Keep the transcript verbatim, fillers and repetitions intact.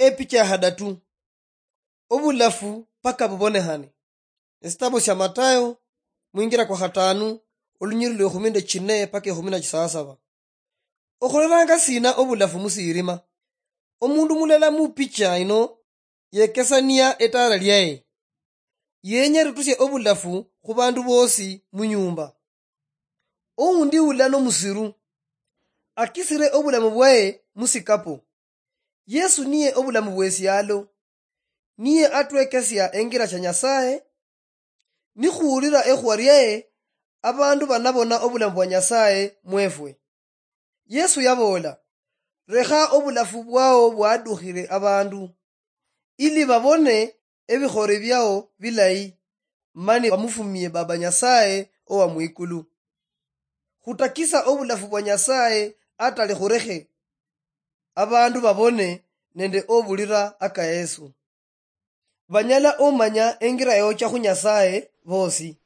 Epicha ya hadatu. Obulafu paka bubonehane. Esitabo sia Matayo, mwingira kwa khatanu, olunyiri lwa ekhumi nde chine paka ekhumi na chisasaba. Okholelanga sina obulafu musirima? Omundu mulala mupicha ino yekesania etala liaye. Yenya rutusie obulafu khu bandu bosi munyumba. Oundi ula nomusiru, akisire obulamu bwaye musikapo. Yesu niye obulamu bwesialo. Niye atwekesia engira cha Nyasaye. Nikhuwulira ekhuwa liaye, abandu banabona obulamu bwa Nyasaye mwefwe. Yesu yaboola, "Lekha obulafu bwao bwadukhire abandu, ili babone ebikhore biao bilayi, mani bamufumie Baba Nyasaye owa mwikulu." Khutakisa obulafu bwa Nyasaye atali khurekhe abandu babone nende obulira aka Yesu. Banyala omanya engira yocha khu Nyasaye bosi.